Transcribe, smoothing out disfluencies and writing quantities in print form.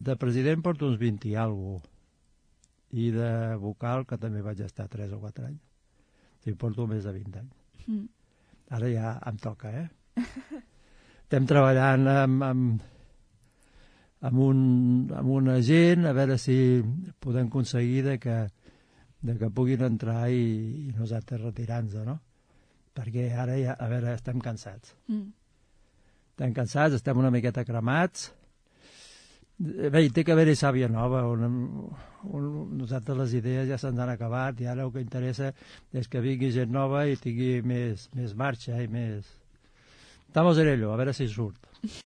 De president porto uns 20 i alguna cosa. I de vocal, que també vaig estar 3 o 4 anys. Sí, porto més de 20 anys. Ara ja em toca, Estem treballant amb un agent a veure si podem aconseguir que puguin entrar i nosaltres retirar-nos, no? Perquè ara ja, a veure, estem cansats. Estem cansats, estem una miqueta cremats. Bé, hi té que haver-hi sàvia nova. Nosaltres les idees ja se'ns han acabat i ara el que interessa és que vingui gent nova i tingui més marxa i més... Estamos en ello, a veure si surt.